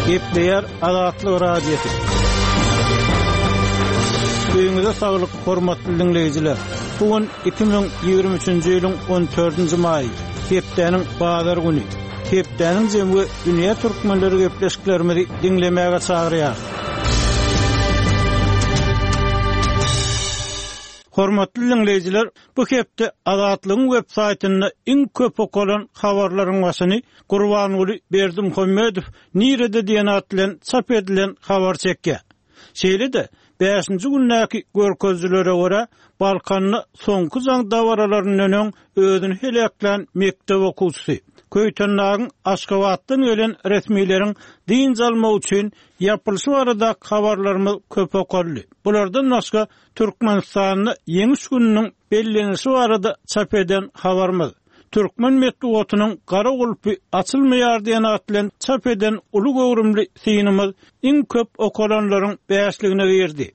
Gepleýär Azatlyk Radiosy. Öýüňize saglyk, hormatly diňleýjiler! Bu gün 2023-nji ýylyň 14-nji maýy, hepdäniň bazar güni. Hepdäniň jemi we dünýä türkmenleri gepleşiklerimizi diňlemäge çagyrýarys. Hormatly diňleýjiler, bu hepde Azatlygyň web saýtynda iň köp okalan habarlaryň başyny Gurbanguly Berdimuhamedow nirede diýen at bilen çap edilen habar çekýär. Şeýle-de, bäşinji gündäki görkezijilere görä, Balkanda soňky jaň dabaralaryndan öň özüni heläklän mekdep okuwçysy, Köýtendagyň Aşgabatdan gelen resmileriň dynç almak üçin ýapylyşy baradaky habarlarymyz köp okaldy. Bulardan başga, Türkmenistanda Ýeňiş gününiň bellenilişi barada çap eden habarymyz, Türkmen metbugatynyň gara gulpy açylmaýar diýen at bilen çap eden uly göwrümli synymyz iň köp okalanlaryň bäşligine girdi.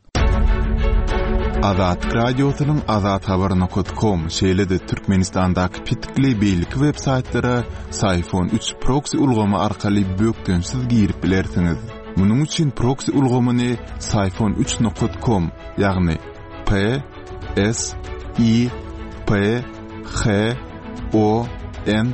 Azatlyk Radiosynyň Azathabar nokat kom, şeýle-de Türkmenistandaky petikli beýleki web saýtlara Syfon üç proksi ulgamy arkaly bökdençsiz girip bilersiňiz. Munuň üçin proksi ulgamyny Syfon üç nokat kom, ýagny P S I P H O N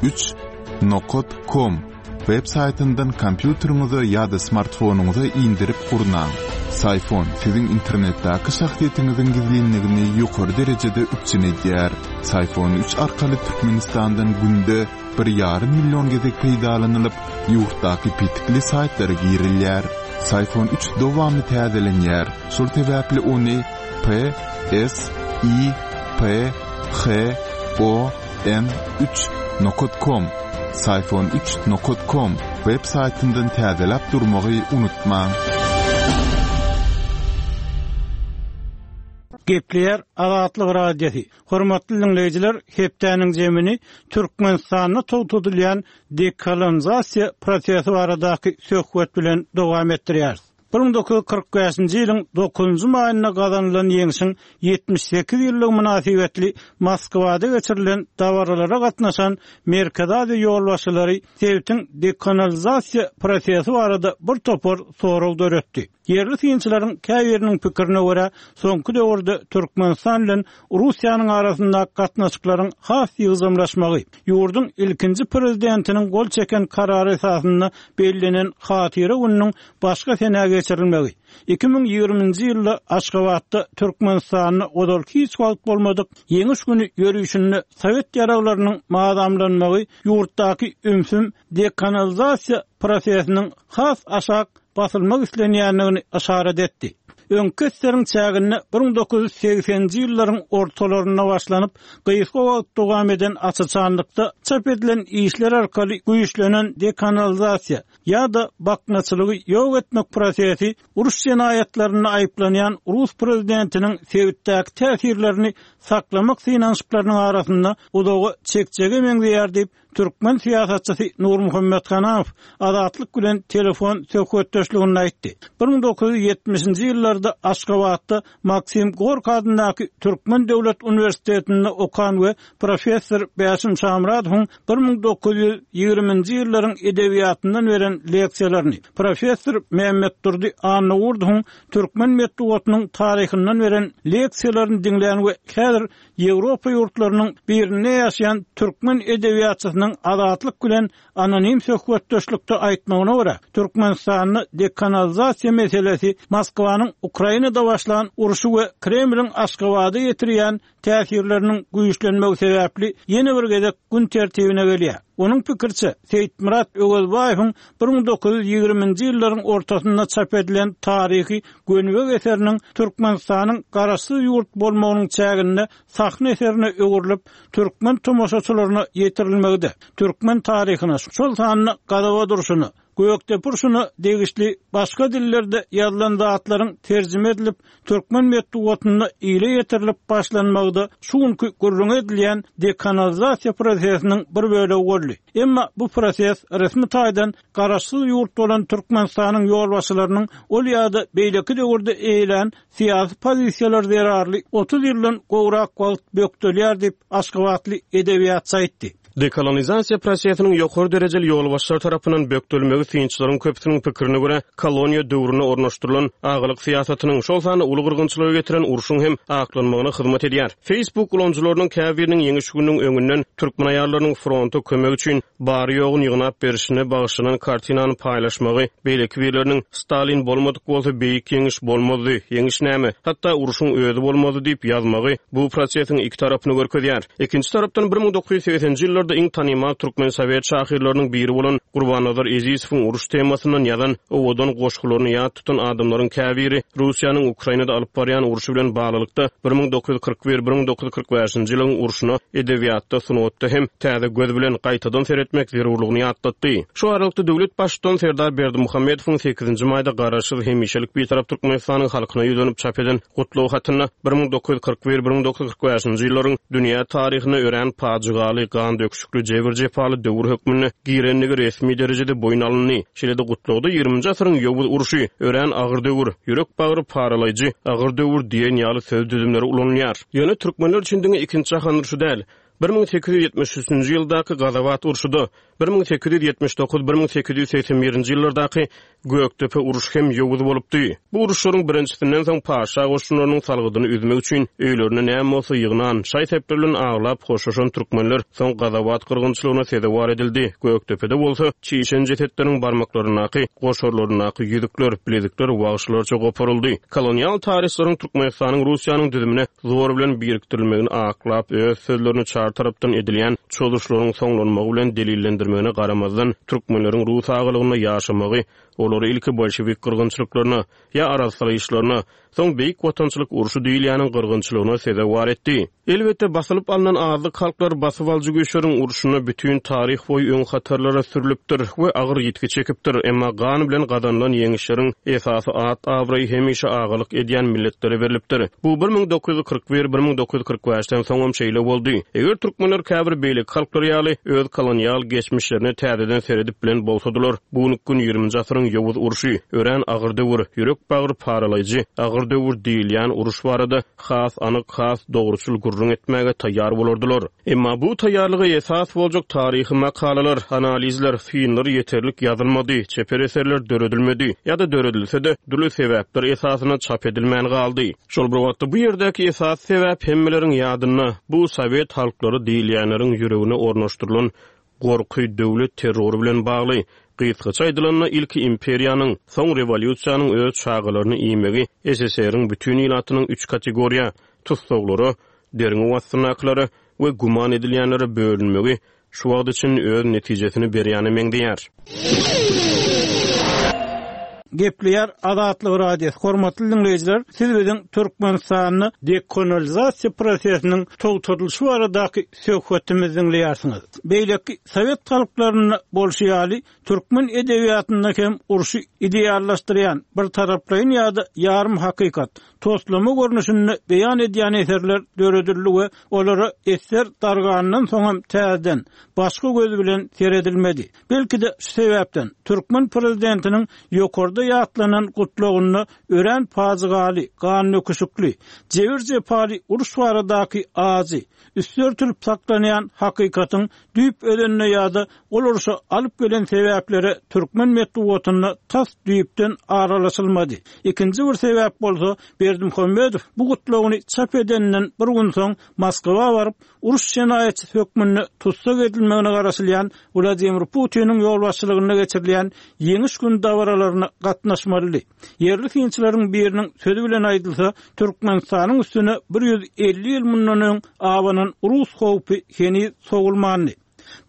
üç nokat kom web saýtyndan kompýuteriňize ýa-da smartfonyňyza indirip gurnaň. Syfon siziň internetdäki şahsyýetiňiziň gizlinligini ýokary derejede üpjün edýär. Syfon üç arkaly Türkmenistandan günde bir ýarym million gezek peýdalanylyp, ýurtdaky petikli saýtlara girilýär. Syfon üç dowamly täzelenýär, şol sebäpli ony P S I P H O N üç nokat kom, Syfon üç nokat kom, web saýtyndan täzeläp durmagy unutmaň. Gepleýär Azatlyk Radiosy. Hormatly diňleýjiler, hepdäniň jemini Türkmenistanda togtadylýan dekolonizasiýa prosesi baradaky söhbet bilen dowam etdirýäris. 1945-nji ýylyň dokuzynjy maýynda gazanylan Ýeňşiň 78 ýyllygy mynasybetli Moskwada geçirilen dabaralara gatnaşan Merkezi Aziýa ýolbaşçylary sebitiň dekolonizasiýa prosesi barada bir topar sorag döretdi. Ýerli synçylaryň käbiriniň pikirine görä, soňky döwürde Türkmenistan bilen Russiýanyň arasyndaky gatnaşyklaryň has ýygjamlaşmagy, ýurduň ilkinji prezidentiniň gol çeken karary esasynda bellenen Hatyra gününiň başga senä geçirilmegi, 2020-nji ýylda Aşgabatda Türkmenistanda ozal hiç wagt bolmadyk Ýeňiş güni ýörişinde sowet ýaraglarynyň mazamlanmagy ýurtdaky ümsüm dekanalizasiýa prosesiniň has aşak basylmak islenýändigini yşarat etdi. Öňki ssr-iň çäginde 1980-nji ýyllaryň ortalarynda başlanyp, gysga wagt dowam eden aç-açanlykda çap edilen işler arkaly güýçlenen dekanalizasiýa ýa-da baknaçylygy ýok etmek prosesi uruş jenaýatlarynda aýyplanýan rus prezidentiniň sebitdäki täsirlerini saklamak synanyşyklarynyň arasynda uzaga çekjege meňzeýär diýip, Türkmen syýasatçysy Nurmuhammet Hanamow Azatlyk bilen telefon söhbetdeşliginde aýtdy. 1970-nji ýyllarda Aşgabatda Maksim Gorki adyndaky Türkmen döwlet uniwersitetinde okan we professor Bäşim Şamyradowyň 1920-nji ýyllaryň edebiýatyndan beren leksiýalaryny, professor Mämmetdurdy Annagurdowyň türkmen metbugatynyň taryhyndan beren leksiýalaryny diňlän we häzir Ýewropa ýurtlarynyň birinde ýaşaýan türkmen edebiýatçysynyň Azatlyk bilen anonim söhbetdeşlikde aýtmagyna görä, Türkmenistanda dekanalizasiýa meselesi Moskwanyň Ukrainada başlan urşy we Kremliň Aşgabada ýetirýän täsirleriniň güýçlenmegi sebäpli ýene bir gezek gün tertibine gelýär. Onuň pikiriçe, Seýitmyrat Öwezbaýewiň 1920-nji ýyllaryň ortasynda çap edilen taryhy Gönübek eseriniň Türkmenistanyň garaşsyz ýurt bolmagynyň çäginde sahna eserine öwrülip, türkmen tomaşaçylaryna ýetirilmegi-de, türkmen taryhyna, şol sanda Gazawat urşuna, Gökdepe urşuna degişli başga dillerde ýazylan zatlaryň terjime edilip, türkmen metbugatynda ile ýetirilip başlanmagy-da şu günki gürrüňi edilýän dekanalizasiýa prosesiniň bir bölegi boldy. Emma bu proses resmi taýdan garaşsyz ýurt bolan Türkmenistanyň ýolbaşçylarynyň ol ýa-da beýleki döwürde eýelän syýasy pozisiýalary zerarly 30 ýyldan gowrak wagt bökdelýär diýip, aşgabatly edebiýatçy aýtdy. Dekolonizasiýa prosesiniň ýokary derejeli ýolbaşçylar tarapyndan bökdelmegi synçylaryň köpüsiniň pikirine görä, koloniýa döwründe ornaşdyrylan agalyk syýasatynyň, şol sanda uly gyrgynçylyga getiren urşuň hem aklanmagyna hyzmat edýär. Facebook ulanyjylarynyň käbiriniň Ýeňiş gününiň öňünden türkmen aýallarynyň fronta kömek üçin bary-ýoguny ýygnap berşine bagyşlanan kartinany paýlaşmagy, beýleki birleriniň Stalin bolmadyk bolsa Beýik Ýeňiş bolmazdy, Ýeňiş näme, hatda urşuň özi bolmazdy diýip ýazmagy bu prosesiň iki tarapyny görkezýär. Ikinji tarapdan, 1980-nji ýyllarda iň tanymal türkmen sowet şahyrlarynyň biri bolan Gurbannazar Ezizowyň uruş temasyndan ýazan owadan goşgularyny ýat tutan adamlaryň käbiri Russiýanyň Ukrainada alyp barýan urşy bilen baglylykda 1941, 1945-nji ýylyň urşuna edebiýatda, sungatda hem täze göz bilen gaýtadan seretmek zerurlygyny ýatlatdy. Şu aralykda, döwlet Baştutany Serdar Berdimuhamedowyň sekizinji maýda Garaşsyz, hemişelik Bitarap Türkmenistanyň halkyna ýüzlenip çap eden Gutlag hatynda 1941, 1945-nji ýyllaryň dünýä taryhyna örän pajygaly, gan döküşikli, jebir-jepaly döwür hökmünde girendigi resmi derejede boýun alyndy. Şeýle-de Gutlagda ýigriminji asyryň ýowuz urşy, örän agyr döwür, ýürek-bagry paralaýjy agyr döwür diýen ýaly söz düzümleri ulanylýar. Ýöne türkmenler üçin diňe Ikinji jahan urşy däl, 1873-nji ýyldaky Gazawat urşy-da, 1879, 1881-nji ýyllardaky Gökdepe urşy hem ýowuz bolupdy. Bu uruşlaryň birinjisinden soň patyşa goşunlarynyň salgydyny üzmek üçin öýlerinde näme bolsa ýygnan, şaý-sepler bilen aglap hoşlaşan türkmenler soň Gazawat gyrgynçylygyna sezewar edildi. Gökdepede bolsa çişen jesetleriň barmaklaryndaky, goşarlaryndaky ýüzükler, bilezikler wagşylarça goparyldy. Kolonial taryhçylaryň Türkmenistanyň Russiýanyň düzümine zor bilen birikdirilmegini aklap, öz sözlerini çar tarapdan edilýän çozuşlaryň soňlanmagy bilen delillendirmegine garamazdan, türkmenleriň rus agalygynda ýaşamagy olary ilki bolşewik gyrgynçylyklaryna, ýa arassalaýyşlaryna, soň Beýik Watançylyk urşy diýilýäniň gyrgynçylygyna sezewar etdi. Elbetde, basylyp alnan azlyk halklar basybalyjy güýçleriň urşunda bütin taryh boýy öň hatarlara sürlüpdir we agyr ýitgi çekipdir, emma gan bilen gazanylan ýeňişleriň esasy at-abraýy hemişe agalyk edýän milletlere berlipdir. Bu 1941, 1945-den soňam şeýle boldy. Eger türkmenler käbir beýleki halklar ýaly öz kolonial geçmişlerine täzeden seredip bilen bolsadylar, bu günki gün ýigriminji asyryň ýowuz urşy, örän agyr döwür, ýürek-bagyr paralaýjy agyr döwür diýilýän uruş barada has anyk, has dogruçyl gürrüň etmäge taýýar bolardylar. Emma bu taýýarlyga esas boljak taryhy makalalar, analizler, synlar ýeterlik ýazylmady, çeper eserler döredilmedi ýa-da döredilse-de, dürli sebäpler esasynda çap edilmän galdy. Şol bir wagtda bu ýerdäki esasy sebäp hemmeleriň ýadynda, bu sowet halklary diýilýänleriň ýüregine ornaşdyrylan Gorky döwlet terrory bilen bagly. Gysgaça aýdylanda, ilki imperiýanyň, soň rewolýusiýanyň öz çagalaryny iýmegi SSR-iň bütin ilatynyň üç kategoriýa, tussaglara, derňew astyndakylara we güman edilýänlere bölünmegi şu wagta çenli öz netijesini berýäne meňzeýär. Gepleýär Azatlyk Radiosy, Hormatly diňleýjiler, siz biziň Türkmenistanda dekolonizasiýa prosesiniň togtadylyşy baradaky söhbetimizi diňleýärsiňiz. Beýleki sowet halklarynda bolşy ýaly, türkmen edebiýatynda hem urşy ideallaşdyrýan, birtaraplaýyn ýa-da ýarym hakykat, toslama görnüşinde beýan edýän eserler döredildi we olara eser dargandan soň hem täzeden, başga göz bilen seredilmedi. Belki-de şu sebäpden, türkmen prezidentiniň ýokarda ýatlanan gutlagynda örän pajygaly, gandöküşikli, jebir-jepaly uruş baradaky ajy, üsti örtülip saklanýan hakykatyň düýp özenine ýa-da ol urşa alyp gelen sebäplere türkmen metbugatynda tas düýpden aralaşylmady. Ikinji bir sebäp bolsa, Berdimuhamedow bu gutlagyny çap edeninden bir gün soň Moskwa baryp, uruş jenaýatçysy hökmünde tussag edilmegine garaşylýan Wladimir Putiniň ýolbaşçylygynda geçirilýän Ýeňiş güni dabaralaryna gatnaşmalydy. Ýerli synçylaryň biriniň sözi bilen aýdylsa, Türkmenistanyň üstüne 150 ýyl mundan öň abanan rus howpy heniz sowulmandy.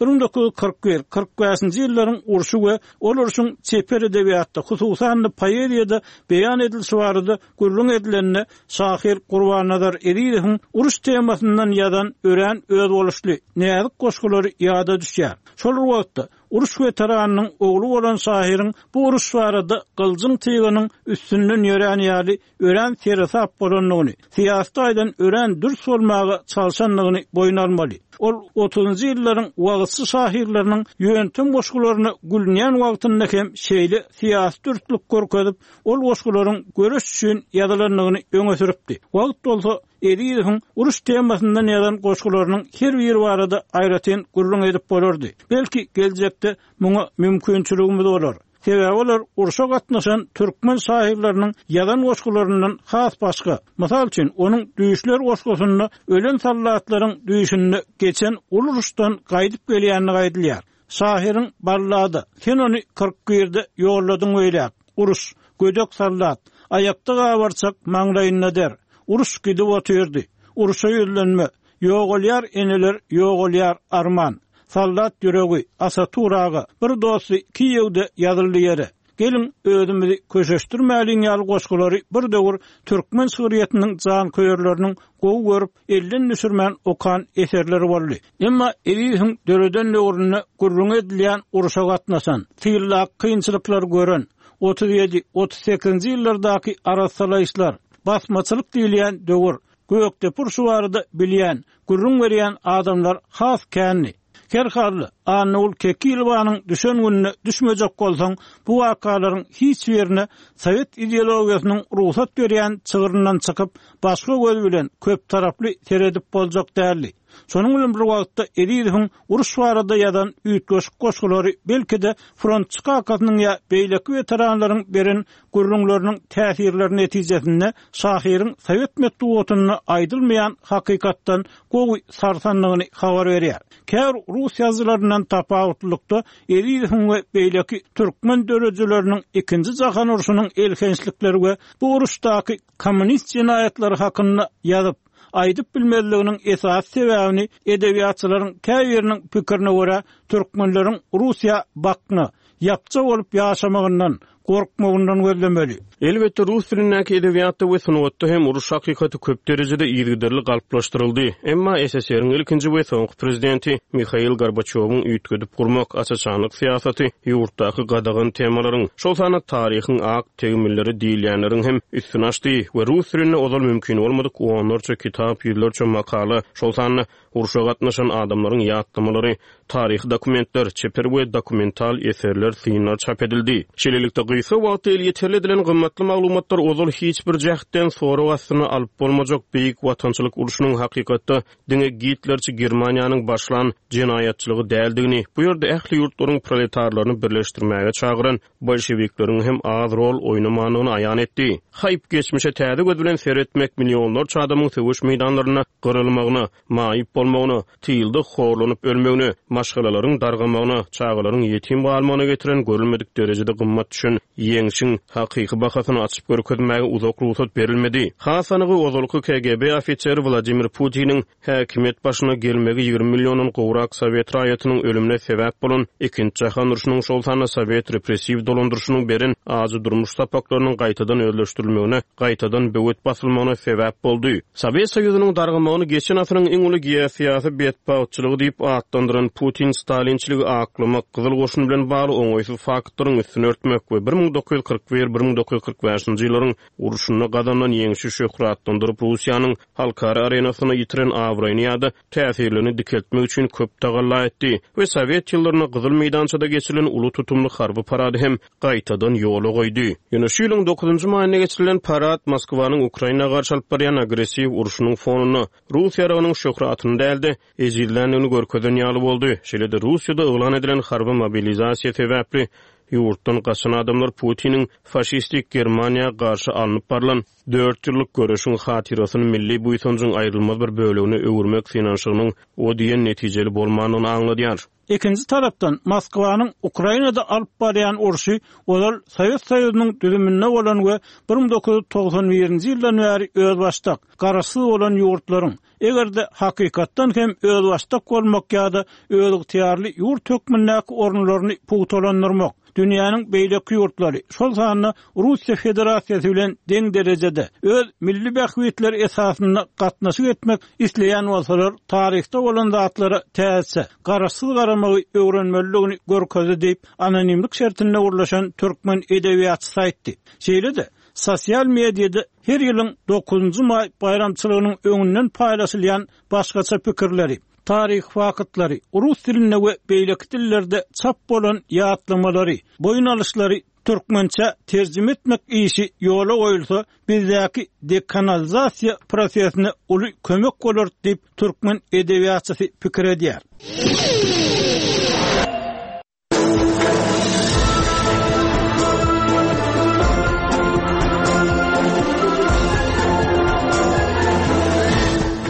1941, 45-nji ýyllaryň urşy we ol urşuň çeper edebiýatda, hususan-da poeziýada beýan edilişi barada gürrüň edilende, şahyr Gurbannazar Ezizowyň uruş temasyndan ýazan örän özboluşly, näzik goşgulary ýada düşýär. Şol bir wagtda, uruş weteranynyň ogly bolan şahyryň bu uruş barada gyljyň tygynyň üstünden ýörän ýaly örän seresap bolandygyny, syýasy taýdan örän dürs bolmaga çalşandygyny boýun almaly. Ol otuzynjy ýyllaryň wagyzçy şahyrlarynyň ýöntem goşgularyna gülünýän wagtynda hem şeýle syýasy dürslük görkezip, ol goşgularyň göreş üçin ýazylandygyny öňe sürüpdi. Wagt bolsa. Ezizowyň uruş temasyndan ýazan goşgularynyň her biri barada aýratyn gürrüň edip bolardy. Belki, geljekde muňa mümkinçiligimiz bolar. Sebäbi olar urşa gatnaşan türkmen şahyrlarynyň ýazan goşgularyndan has başga. Mysal üçin, onuň Düýşler goşgusynda ölen soldatlaryň düýşünde geçen uly uruşdan gaýdyp gelýändigi aýdylýar. Şahyryň Ballada, Sen ony 41-de ýolladyň beýläk, Uruş, Gödek soldat, Aýakda gabarçak, maňlaýynda der, Uruş gidip otyrdy, Urşa ýüzlenme, Ýogalýar eneler, ýogalýar, arman. Soldat ýüregi, Asatur aga, Bir dosty Kiýewde ýazyldy ýere. Geliň, özümizi köşeşdirmäliň ýaly goşgulary bir döwür türkmen şygryýetiniň janköýerleriniň gowy görüp, elden düşürmän okan eserleri boldy. Emma Ezizowyň döreden döwründe gürrüňi edilýän urşa gatnaşan, tyldaky kynçylyklary gören, 37, 38-nji ýyllardaky arassalaýyşlar, basmaçylyk diýilýän döwür, Gökdepe urşy barada bilýän, gürrüň berýän adamlar has kändi. Her halda, Annagül Kekilowanyň düşen gününe düşmejek bolsaň, bu wakalaryň hiç birine sowet ideologiýasynyň rugsat berýän çygryndan çykyp, başga göz bilen, köptaraply seredip boljak däldi. Şonuň bilen bir wagtda Ezizowyň uruş barada ýazan üýtgeşik goşgulary belki-de frontçy kakasynyň ýa beýleki weteranlaryň beren gürrüňleriniň täsirleri netijesinde şahyryň sowet metbugatynda aýdylmaýan hakykatdan gowy sarsandygyny habar berýär. Käbir rus ýazyjylaryndan tapawutlylykda Ezizowyň we beýleki türkmen döredijileriniň Ikinji jahan urşunyň elhençlikleri we bu uruşdaky kommunist jenaýatlary hakynda ýazyp, aýdyp bilmezliginiň esasy sebäbini edebiýatçylaryň käbiriniň pikirine görä, türkmenleriň Russiýa bakna, ýapja bolup ýaşamagyndan, gorkmagyndan gözlemeli. Elbetde, rus dilindäki edebiýatda we sungatda hem uruş hakykaty köp derejede yzygiderli galplaşdyryldy. Emma SSR-iň ilkinji we soňky prezidenti Mihail Gorbaçýowyň üýtgedip gurmak, aç-açanlyk syýasaty ýurtdaky gadagan temalaryň, şol sanda taryhyň ak tegmilleri diýilýänleriň hem üstüni açdy we rus dilinde ozal mümkin bolmadyk onlarça kitap, ýüzlerçe makala, şol sanda Urşa gatnaşan adamlaryň ýatlamalary, taryhy dokumentler, çeper we dokumental eserler, synlar çap edildi. Şeýlelikde, gysga wagtda elýeterli edilen gymmatly maglumatlar ozal hiç bir jähtden sorag astyna alyp bolmajak Beýik Watançylyk urşunyň hakykatda diňe gitlerçi Germaniýanyň başlan jenaýatçylygy däldigini, bu ýerde ähli ýurtlaryň proletarlaryny birleşdirmäge çagyran bolşewikleriň hem az rol oýnamandygyny aýan etdi. Haýp, geçmişe täze göz bilen seretmek millionlarça adamyň söweş meýdanlarynda gyrylmagyna, maýyp bolmagyna, tylda horlanyp ölmegine, maşgalalaryň dargamagyna, çagalaryň ýetim galmagyna getiren görülmedik derejede gymmat düşen ýeňşiň hakyky bahasyny açyp görkezmäge uzak rugsat berilmedi. Has anygy, ozalky KGB ofiseri Wladimir Putiniň Häkimiýet başyna gelmegi 20 milliondan gowrak sowet raýatynyň ölümine sebäp bolan Ikinji jahan urşunyň, şol sanda sowet repressiw dolandyryşynyň beren ajy durmuş sapaklarynyň gaýtadan özleşdirilmegine, gaýtadan böwet basylmagyna sebäp boldy. Sowet Soýuzynyň dargamagyny geçen asyryň iň uly geosyýasy betbagtçylygy diýip atlandyran Putin stalinçiligi aklamak, Gyzyl Goşun bilen bagly oňaýsyz faktlaryň üstüni örtmek we 1941, 1945-nji ýyllaryň urşunda gazanylan ýeňşi şöhratlandyryp, Russiýanyň halkara arenasynda ýitiren abraýyny ýa-da täsirlerini dikeltmek üçin köp tagalla etdi we sowet ýyllarynda Gyzyl meýdançada geçirilen uly tutumly harby parady hem gaýtadan ýola goýdy. Ýöne şu ýylyň dokuzynjy maýynda geçirilen parad Moskwanyň Ukraina garşy alyp barýan agressiw urşunyň fonunda rus ýaragynyň şöhratyny däl-de, ejizländigini görkezen ýaly boldy. Şeýle-de Russiýada yglan edilen harby mobilizasiýa sebäpli ýurtdan gaçan adamlar Putiniň faşistik Germaniýa garşy alnyp barlan dört ýyllyk göreşiň hatyrasyny milli buýsanjyň aýrylmaz bir bölegine öwürmek synanyşygynyň o diýen netijeli bolmandygyny aňladýar. Ikinji tarapdan, Moskwanyň Ukrainada alyp barýan urşy ozal Sowet Soýuzynyň düzüminde bolan we 1991-nji ýyldan bäri özbaşdak, garaşsyz bolan ýurtlaryň, Eger-de hakykatdan hem özbaşdak bolmak ýa-da özygtyýarly ýurt hökmündäki orunlaryny pugtalandyrmak, dünýäniň beýleki ýurtlary, şol sanda Russiýa Federasiýasy bilen deň derejede, öz milli bähbitleri esasynda gatnaşyk etmek isleýän bolsalar, taryhda bolan zatlara täzeçe, garaşsyz garamagy öwrenmelidigini görkezdi diýip, anonimlik şertinde gürleşen türkmen edebiýatçysy aýtdy. Şeýle-de, Sosial mediada her ýylyň dokuzynjy maý baýramçylygynyň öňünden paýlaşylýan başgaça pikirleri, taryhy faktlary, rus dilinde we beýleki dillerde çap bolan ýatlamalary, boýun alyşlary türkmençä terjime etmek işi ýola goýulsa, bizdäki dekanalizasiýa prosesine uly kömek bolar diýip, türkmen edebiýatçysy pikir edýär.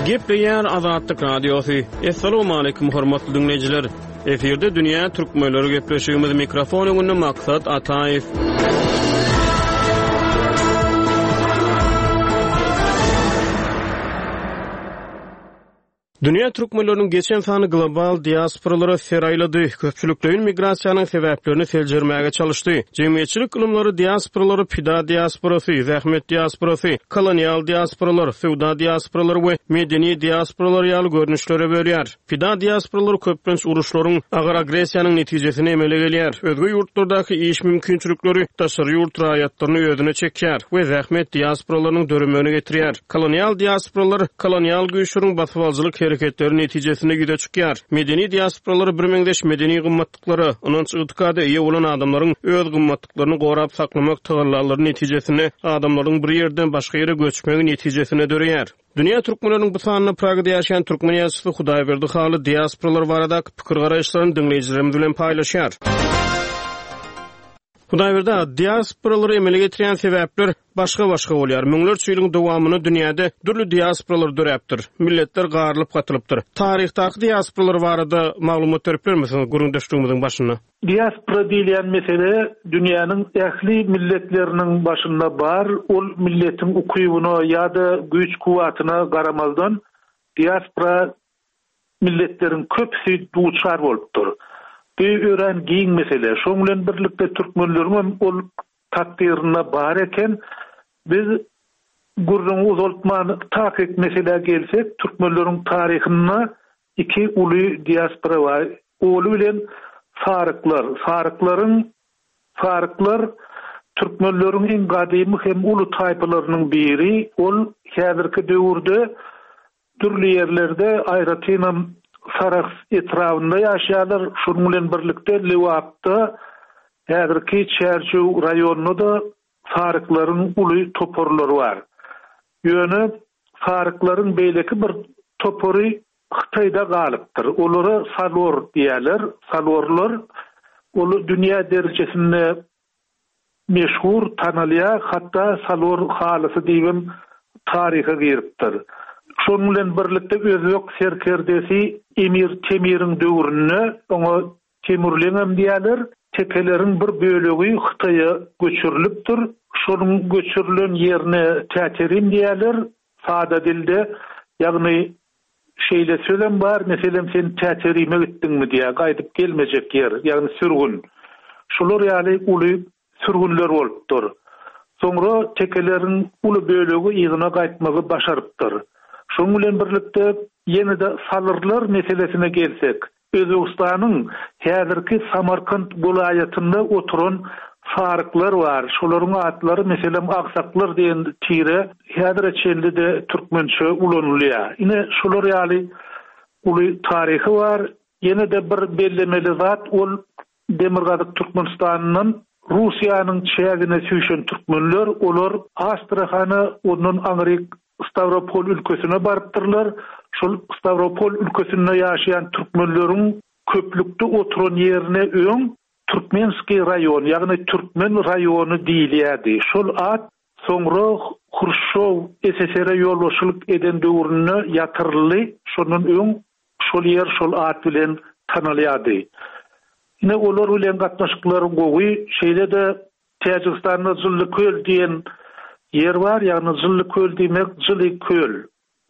Gepleýär Azatlyk Radiosy. Assalamualaikum hormatly diňleýjiler. Efirde dünýä türkmenleri gepleşigimiz mikrofon öňünde Maksat Ataýew. Dünýä türkmenleriniň geçen sany global diasporalara ser aýlady, köpçülikleýin migrasiýanyň sebäplerini seljermäge çalyşdy. Jemgyýetçilik ylymlary diasporalary pida diasporasy, zähmet diasporasy, kolonial diasporalar, söwda diasporalary we medeni diasporalar ýaly görnüşlere bölýär. Pida diasporalary köplenç uruşlaryň, agyr agressiýanyň netijesinde emele gelýär. Özge ýurtlardaky iş mümkinçilikleri daşary ýurt raýatlaryny özüne çekýär we zähmet diasporalarynyň döremegine getirýär. Kolonial diasporalar kolonial güýçleriň basybalyjylyk hereketleri netijesinde ýüze çykýar. Medeni diasporalar birmeňzeş medeni gymmatlyklara, ynanç-ygtykada eýe bolan adamlaryň öz gymmatlyklaryny gorap saklamak tagallalary netijesinde adamlaryň bir ýerden başga ýere göçmegi netijesinde döreýär. Dünýä türkmenleriniň bu sanynda Pragada ýaşaýan türkmen ýazyjysy Hudaýberdi Hally diasporalar baradaky pikir-garaýyşlaryny diňleýjilerimiz bilen paýlaşýar. Hudaýberdi aga, diasporalary emele getirýän sebäpler başga-başga bolýar. Müňlerçe ýylyň dowamynda dünýäde dürli diasporalar döräpdir. Milletler garylyp-gatylypdyr. Taryhdaky diasporalar barada maglumat berip bilermisiňiz gürrüňdeşligimiziň başynda? Diaspora diýilýän mesele dünýäniň ähli milletleriniň başynda bar. Ol milletiň ukybyna ýa-da güýç-kuwwatyna garamazdan diaspora milletleriň köpüsi duçar bolupdyr. Bu örän giň mesele. Şoň bilen birlikde türkmenleriňem ol takdyrynda bar eken. Biz gürrüňi uzaltman takyk meselä gelsek, türkmenleriň taryhynda iki uly diaspora bar. Oly bilen saryklar. Saryklaryň Saryklar türkmenleriň iň gadymy hem uly taýpalarynyň biri. Ol häzirki döwürde Dürli ýerlerde, aýratynam Sarahs etrabynda ýaşaýarlar. Şonuň bilen birlikde Lebapda, häzirki Çärjew raýonynda-da saryklaryň uly toparlary bar. Ýöne saryklaryň beýleki bir topary Hytaýda galypdyr. Olara salor diýýärler. Salorlar ol dünýä derejesinde meşhur tanalýar, hatda Salor halysy diýibem taryha giripdir. Şonuň bilen birlikde özbek serkerdesi Emir Temiriň döwründe, oňa Temurleňem diýýärler, tekeleriň bir bölegi Hytaýa göçürilipdir. Şonuň göçürilen ýerine Täterim diýýärler, sada dilde, ýagny Şeýle sözem bar, meselem, sen Täterime gitdiňmi diýýär, gaýdyp gelmejek ýer, ýagny sürgün. Şular ýaly uly sürgünler bolupdyr. Soňra tekeleriň uly bölegi yzyna gaýtmagy başarypdyr. Şonuň bilen birlikde, ýene-de salyrlar meselesine gelsek, Özbegistanyň häzirki Samarkant welaýatynda oturan saryklar bar. Şolaryň atlary, meselem, agsaklar diýen tire häzire çenli-de türkmençe ulanylýar. Ine, şular ýaly uly taryhy bar. Ýene-de bir bellemeli zat, ol Demirgazyk Türkmenistandan Russiýanyň çägine süýşen türkmenler, olar Astrahana, ondan aňryk Stawropol ülkesine barypdyrlar. Şol Stawropol ülkesinde ýaşaýan türkmenleriň köplükde oturan ýerine öň Türkmenskiý raýon, ýagny Türkmen raýony diýilýärdi. Şol at soňra Hruşşow SSR-e ýolbaşçylyk eden döwründe ýatyryldy. Şondan öň Şol ýer şol at bilen tanalýardy. Ine, olar bilen gatnaşyklar gowy. Şeýle-de Täjigistanda Jylly köl diýen ýer bar, ýagny Jylly köl diýmek jyly köl,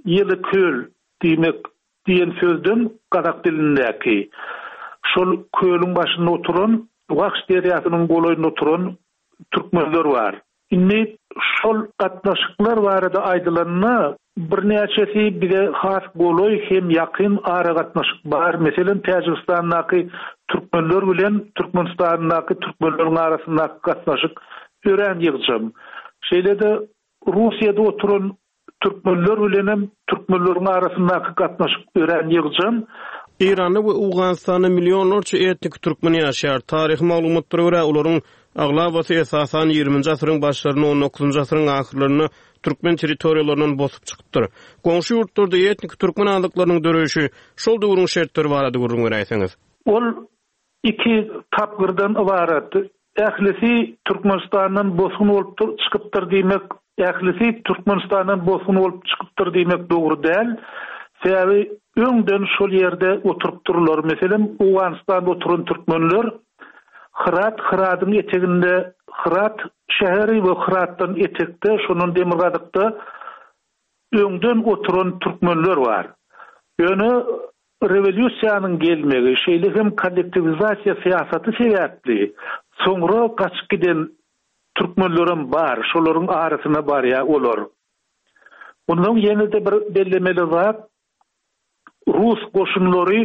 ýyly köl diýmek diýen sözden gazak dilindäki. Şol kölüň başynda oturan, Wahş derýasynyň golaýynda oturan türkmenler bar. Indi şol gatnaşyklar barada aýdylanda, birnäçesi bize has golaý hem ýakyn aragatnaşyk bar. Meselem, Täjigistandaky türkmenler bilen Türkmenistandaky türkmenleriň arasyndaky gatnaşyk örän ýygjam. Şeýle-de Russiýada oturan Türkmenler bilenem türkmenleriň arasyndaky gatnaşyk örän ýygjam. Eýranda we Owganystanda millionlarça etniki türkmen ýaşaýar. Taryhy maglumatlara görä, olaryň aglabasy esasan ýigriminji asyryň başlarynda, on dokuzynjy asyryň ahyrlarynda türkmen territoriýalaryndan bosup çykypdyr. Goňşy ýurtlarda etniki türkmen azlyklarynyň döreýşi, şol döwrüň şertleri barada gürrüň beräýseňiz. Ol Iki tapgyrdan ybarat. Ählisi Türkmenistandan bosgun bolup çykypdyr diýmek, ählisi Türkmenistandan bosgun bolup çykypdyr diýmek dogry däl. Sebäbi öňden şol ýerde oturypdyrlar. Meselem, Owganystanda oturan türkmenler Hyrat, Hyradyň eteginde Hyrat şäheri we Hyratdan etekde, şondan demirgazykda öňden oturan türkmenler bar. Ýöne Rewolýusiýanyň gelmegi, şeýle hem kollektiwizasiýa syýasaty sebäpli soňra gaçyp giden türkmenlerem bar, şolaryň arasyna barýar olar. Mundan ýene-de bir bellemeli zat, rus goşunlary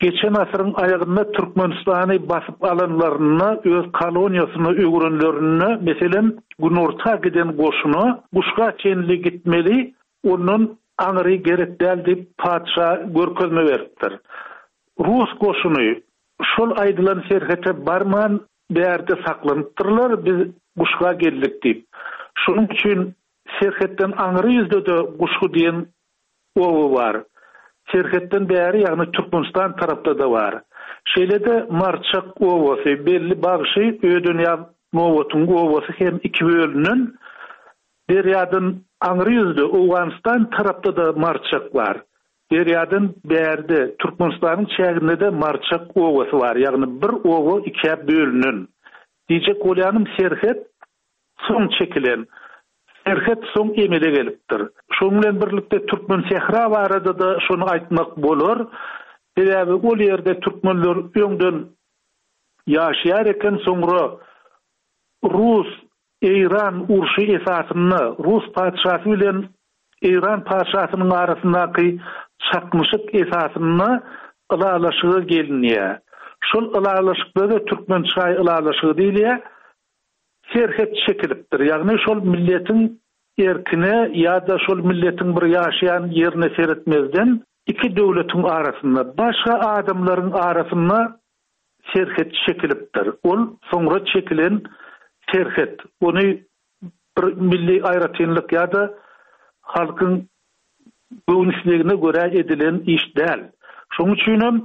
geçen asyryň aýagynda Türkmenistany basyp alanlarynda, öz koloniýasyna öwrenlerinde, meselem, günorta giden goşuna Guşga çenli gitmeli, Ondan aňry gerek däl diýip, patyşa görkezme beripdir. Rus goşuny şol aýdylan serhete barman, bärde saklanypdyrlar, biz Guşga geldik diýip. Şonuň üçin serhetden aňry ýüzde-de Guşgy diýen oba bar. Serhetden bäri, ýagny Türkmenistan tarapda-da bar. Şeýle-de Marçak obasy, belli bagşy Ödenýaz Nobatyň obasy hem iki bölünen. Derýadan aňry ýüzde, Owganystan tarapda-da Marçak bar. Derýadan bärde, Türkmenistanyň çäginde-de Marçak obasy bar, ýagny bir oba ikä bölünen. Diýjek bolýanym serhet soň çekilen, serhet soň emele gelipdir. Şonuň bilen birlikde Türkmensähra barada-da şony aýtmak bolar. Sebäbi ol ýerde türkmenler öňden ýaşaýar eken, soňra rus Eýran urşy esasynda rus patyşasy bilen Eýran patyşasynyň arasyndaky çaknyşyk esasynda ylalaşyga gelinýär. Şol ylalaşykda-da Türkmençaý ylalaşygy diýilýär. Serhet çekilipdir. Ýagny şol milletiň erkine ýa-da şol milletiň bir ýaşaýan ýerine seretmezden iki döwletiň arasynda, başga adamlaryň arasynda serhet çekilipdir. Ol soňra çekilen serhet. Ony bir milli aýratynlyk ýa-da halkyň göwün islegine görä edilen iş däl. Şonuň üçinem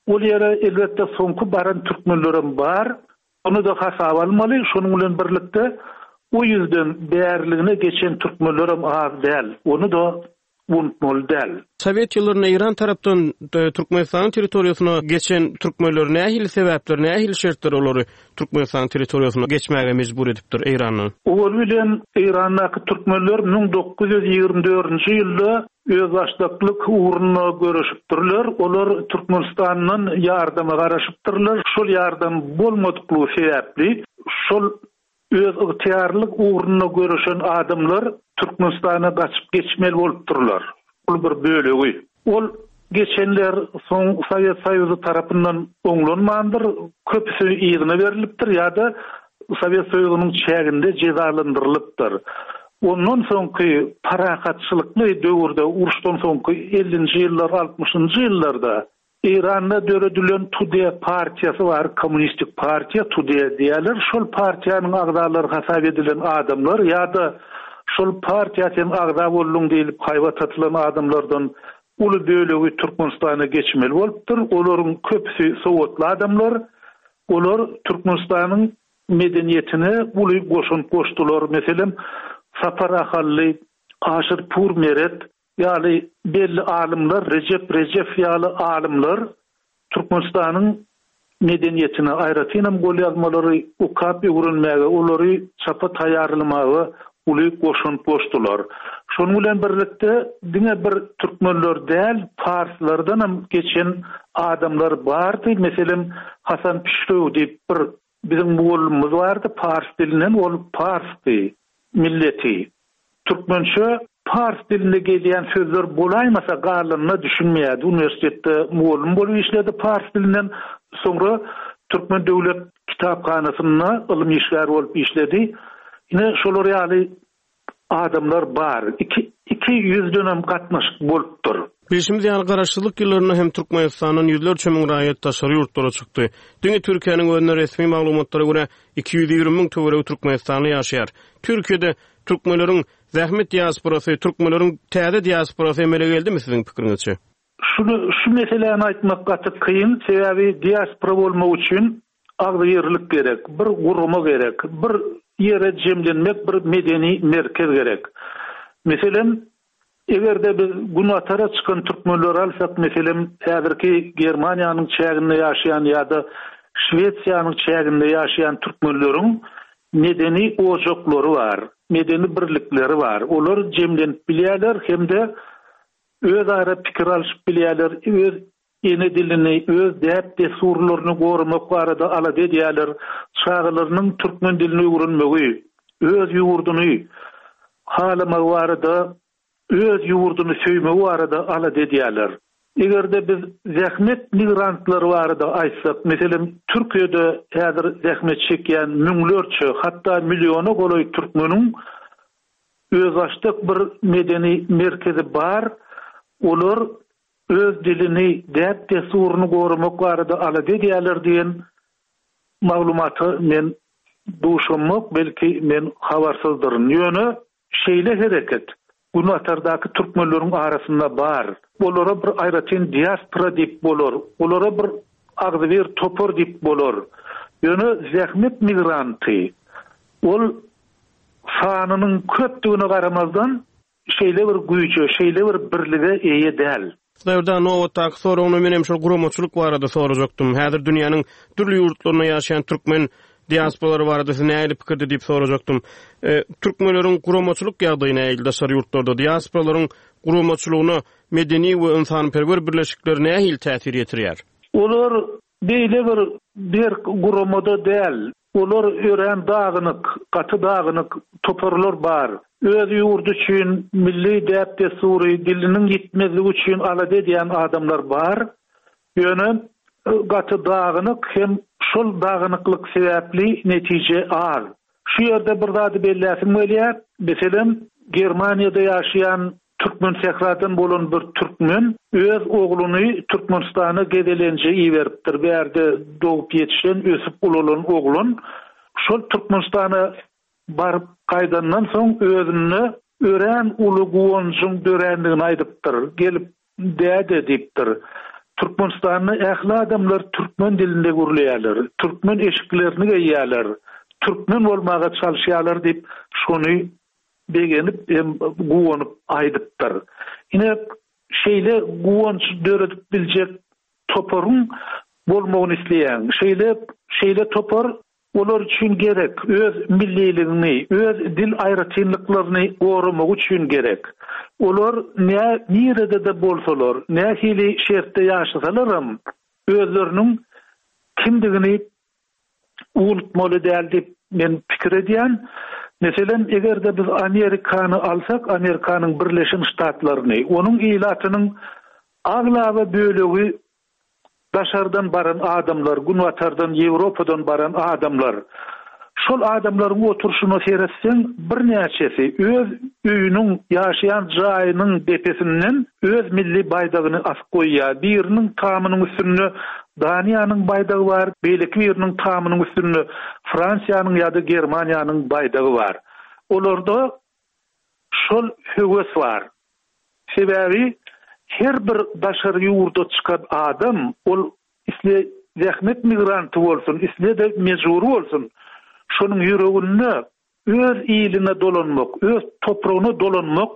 ol ýere elbetde soňky baran türkmenlerem bar. Ony-da hasaba almaly. Şonuň bilen birlikde o ýüzden bäriligine geçen türkmenlerem az däl. Ony-da unutmaly däl. Sowet ýyllarynda Eýran tarapdan Türkmenistanyň territoriýasyna geçen türkmenler nähili sebäpler, nähili şertler olary Türkmenistanyň territoriýasyna geçmäge mejbur edipdir Eýrandan? Owaly bilen Eýrandaky türkmenler 1924-nji ýylda özbaşdaklyk ugrunda göreşipdirler. Olar Türkmenistandan ýardama garaşypdyrlar. Şol ýardam bolmadyklygy sebäpli şol Öz ygtyýarlylyk ugrunda göreşen adamlar Türkmenistana gaçyp geçmeli bolupdyrlar. Uly bir bölegi. Ol geçenler soň Sowet Soýuzy tarapyndan oňlanmandyr, köpüsi yzyna berlipdir ýa-da Sowet Soýuzynyň çäginde jezalandyrylypdyr. Ondan soňky parahatçylykly döwürde, uruşdan soňky ellinji ýyllar, altmyşynjy ýyllarda Eýranda döredilen Tude partiýasy bar, kommunistik partiýa, Tude diýýärler. Şol partiýanyň agzalary hasap edilen adamlar ýa-da şol partiýa sen agza bolduň diýlip haýbat atylan adamlardan uly bölegi Türkmenistana geçmeli bolupdyr. Olaryň köpüsi sowatly adamlar. Olar Türkmenistanyň medeniýetine uly goşant goşdular. Meselem, Sapar Ahally, Aşyrpur Meret, Ýaly belli alymlar, Rejep Rejew ýaly alymlar Türkmenistanyň medeniýetine, aýratynam golýazmalary okap öwrenmäge, olary çapa taýýarlamaga uly goşant goşdular. Şonuň bilen birlikde, diňe bir türkmenler däl, parslardanam geçen adamlar bardy. Meselem, Hasan Pişrew diýip bir biziň mugallymymyz bardy, pars dilinden, ol parsdy milleti. Türkmençe pars dilinde gelýän sözler bolaýmasa galanyna düşünmeýärdi. Uniwersitetde mugallym bolup işledi pars dilinden. Soňra Türkmen döwlet kitaphanasynda ylym işgäri bolup işledi. Ine şolar ýaly adamlar bar. Iki ýüzdenem gatnaşyk bolupdyr. Bilşimiz ýaly, Garaşsyzlyk ýyllarynda hem Türkmenistandan ýüzlerçe müň raýat daşary ýurtlara çykdy. Diňe Türkiýäniň özünde resmi maglumatlara görä, 220 müň töweregi türkmenistanly ýaşaýar. Türkiýede türkmenleriň zähmet diasporasy, türkmenleriň täze diasporasy emele geldimi siziň pikiriňizçe? Şuny, şu meseläni aýtmak gaty kyn, sebäbi diaspora bolmak üçin agzybirlik gerek, bir gurama gerek, bir ýere jemlenmek, bir medeni merkez gerek. Meselem, eger-de biz günbatara çykan türkmenleri alsak, meselem, häzirki Germaniýanyň çäginde ýaşaýan ýa-da Şwesiýanyň çäginde ýaşaýan türkmenleriň medeni ojaklary bar, medeni birlikleri bar. Olar jemlenip bilýärler hem-de özara pikir alşyp bilýärler, öz ene dilini, öz däp-dessurlaryny goramak barada alada edýärler, çagalarynyň türkmen dilini öwrenmegi, öz ýurduny halamagy barada, öz ýurduny söýmegi barada alada edýärler. Eger-de biz zähmet migrantlary barada aýtsak, meselem, Türkiýede häzir zähmet çekýän müňlerçe, hatda milliona golaý türkmeniň Özbaşdak bir medeni merkezi bar, olar öz dilini, däp-dessuryny goramak barada alada edýärler diýen maglumata men duşamok, belki men habarsyzdyryn. Ýöne şeýle hereket Günbatardaky türkmenleriň arasynda bar. Olara bir aýratyn diaspora diýip bolar, olara bir agzybir topar diýip bolar. Ýöne zähmet migranty, ol sanynyň köpdügine garamazdan, şeýle bir güýje, şeýle bir birlige eýe däl. Hudaýberdi nobatdaky soragyny menem şol guramaçylyk barada sorajakdym. Häzir dünýäniň dürli ýurtlarynda ýaşaýan türkmen diasporalary barada siz nähili pikirde diýip sorajakdym. Türkmenleriň guramaçylyk ýagdaýy nähili daşary ýurtlarda? Diasporalaryň guramaçylygyna medeni we ynsanperwer birleşikler nähili täsir ýetirýär? Olar beýle bir berk guramada däl. Olar örän dagynyk, gaty dagynyk toparlar bar. Öz ýurdy üçin, milli däp-dessury, diliniň ýitmezligi üçin alada edýän adamlar bar. Ýöne gaty dagynyk hem şol dagynyklyk sebäpli netije az. Şu ýerde bir zady belläsim gelýär, meselem, Germaniýada ýaşaýan Türkmensähradan bolan bir türkmen öz ogluny Türkmenistana gezelenje iberipdir. Bärde dogup ýetişen, ösüp ulalan oglan şol Türkmenistana baryp gaýdandan soň özünde örän uly guwanjyň dörändigini aýdypdyr. Gelip, Däde diýipdir. Türkmenistanda ähli adamlar türkmen dilinde gürleýärler, türkmen eşiklerini geýýärler, türkmen bolmaga çalyşýarlar diýip, şony begenip hem guwanyp aýdypdyr. Ine, şeýle guwanç döredip biljek toparyň bolmagyny isleýän. Şeýle şeýle topar olar üçin gerek, öz milliligiňi, öz dil aýratynlyklaryny goramak üçin gerek. Olar nä nirede-de bolsalar, nähili şertde ýaşasalaram, özleriniň kimdigini unutmaly däl diýip men pikir edýän. Meselem, eger-de biz Amerikany alsak, Amerikanyň Birleşen Ştatlaryny, onuň ilatynyň aglaba bölegi daşardan baran adamlar, günbatardan, Ýewropadan baran adamlar. Şol adamlaryň oturyşyna seretseň, birnäçesi öz öýüniň, ýaşaýan jaýynyň depesinden öz milli baýdagyny asyp goýýar. Biriniň tamynyň üstünde Daniýanyň baýdagy bar, beýleki biriniň tamynyň üstünde Fransiýanyň ýa-da Germaniýanyň baýdagy bar. Olarda şol höwes bar. Sebäbi her bir daşary ýurda çykan adam, ol isle zähmet migranty bolsun, isle-de mejbury bolsun, şonuň ýüreginde öz iline dolanmak, öz topragyna dolanmak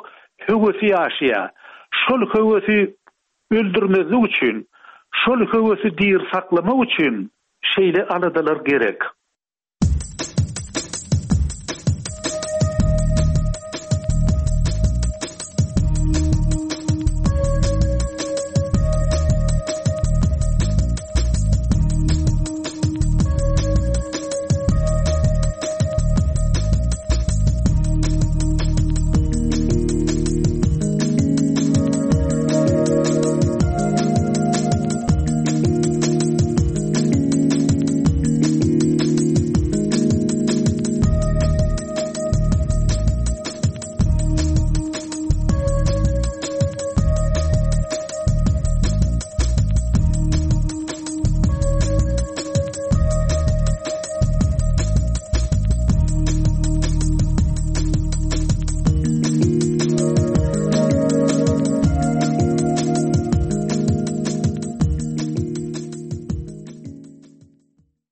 höwesi ýaşaýar. Şol höwesi öldürmezlik üçin, şol höwesi diri saklamak üçin şeýle aladalar gerek.